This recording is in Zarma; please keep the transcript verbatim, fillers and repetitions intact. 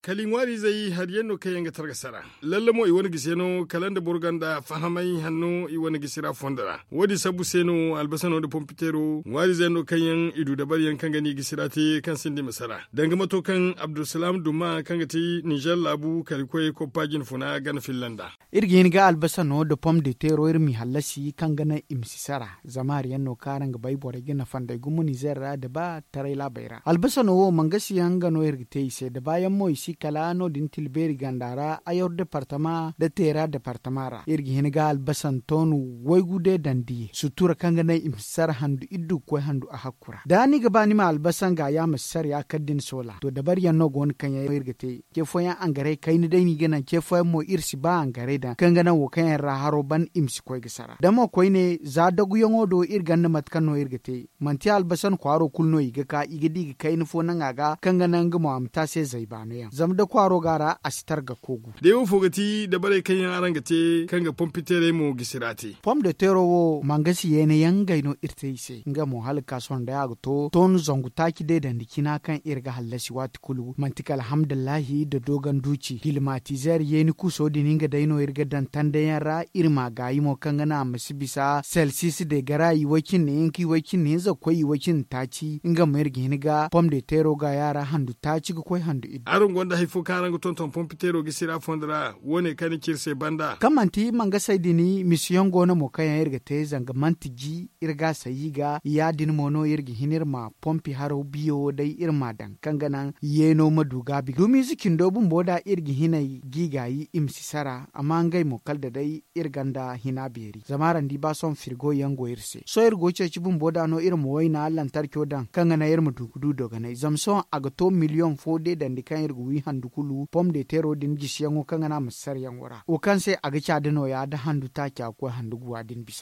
Kala i ŋwaariizey hari yaŋ no kaŋ yaŋ ga targasa ra. Lalle mo i wane gisi yaŋ no kala nda boro gonda fahamay hanno i wane gisi ra fondo ra. Wo- din sabbu se no albasano nda pompiteero ŋwaariizey yaŋ no kaŋ yaŋ i du dabari yaŋ kaŋ ga ni gisi ra te kaŋ sinda i ma sara danga mato kaŋ abdulsalaam duma kaŋ ga ti nizer laabu kala i koy koppa jinfuna gana filla nd'a. Iri ga hin ga albasano nda pom de teero iri m'i hallasi kaŋ ga naŋ i ma si sara. Zama hari yaŋ no kaŋ araŋ ga bay borey ga nafa nd'ey gumo nizer ra da ba taray laabey ra albasano wo mangasi yaŋ nga no iri ga te i se da baayaŋ mo i si kala no- din tilbeeri ganda ra ayor departama nda teera departama ra iri ga hin ga albasan toonu waygu deedandi sutura kaŋ ga naŋ i ma si sara handu iddu ga koy handu a hakku ra da ni ga ba ni ma albasan ga ya ma si sara ya kala da ni soola to dabari yaŋ no go no kaŋ yaŋ iri ga te. Ce fooyaŋ angaray kayna day no i ga naŋ ce fooyaŋ mo iri si ba angaray daŋ kaŋ ga naŋ wo kaŋ yaŋ ra haro ban i ma si koy ga sara da mo koyne za daguyaŋo do iri ganda mate kaŋ no iri ga te. Manti albasan kwaaro kulu no i ga ka i ga di ga kayna fo naŋ a ga kaŋ ga naŋ nga mo a ma te a se zay baano yaŋ zama da kwaaro go a ra a si targa koogu. Day wo fo ga ti dabarey kaŋ yaŋ araŋ ga te kaŋ ga pompiteerey mo gisi ra te. Pom de teero wo mangasi yeena yaŋ ngey no iri te i se nga mo hala ga ka sohõ day a ga to toonu zangu taaci deedandi cina kaŋ iri ga hallasi waati kulu manti kala alhamdulillahi nda doogan duuci hilimatizeer yeeni kuuso din nga day no iri ga daŋ tanda yaŋ ra. Iri m'a gaayi mo kaŋ ga naŋ a ma si bisa selsis de garayi way-cindi hinka way-cindi hinza ga koy way-cindi taaci nga mo iri ga hin ga pom de teero gaaya ra handu taaci ga koy handu iddu. Araŋ gonda hari fo kaŋ araŋ ga tonton pompiteero gisi ra fondo ra wo- ne kaŋ ni ci iri se banda kaŋ manti mangasey din misiyaŋ go no mo kaŋ yaŋ iri ga te zanga manti ji iri ga a sayi ga ya- din mo no iri ga hin iri ma pompi haro biyo wo day iri m'a daŋ kaŋ ga naŋ yeeno ma du gaabi dumiize cindo bumbo da iri ga hinay g'i gaayi i ma si sara amma ngey mo kala da day iri gonda hina beeri zama araŋ di ba sohõ firgo yaŋ go iri se sohõ iri go ceeci bumbo da no iri ma wayna lantarco daŋ kaŋ ga naŋ iri ma du ga du dogonay zama sohõ a ga to miliyoŋ fo deedandi kaŋ iri ga wi handu kulu pom de teero din gisiyaŋo kaŋ ga naŋ a ma si sara yaŋo ra wo kaŋ se a ga ca da nooya da handu taaca ga koy handu guwa din bisa.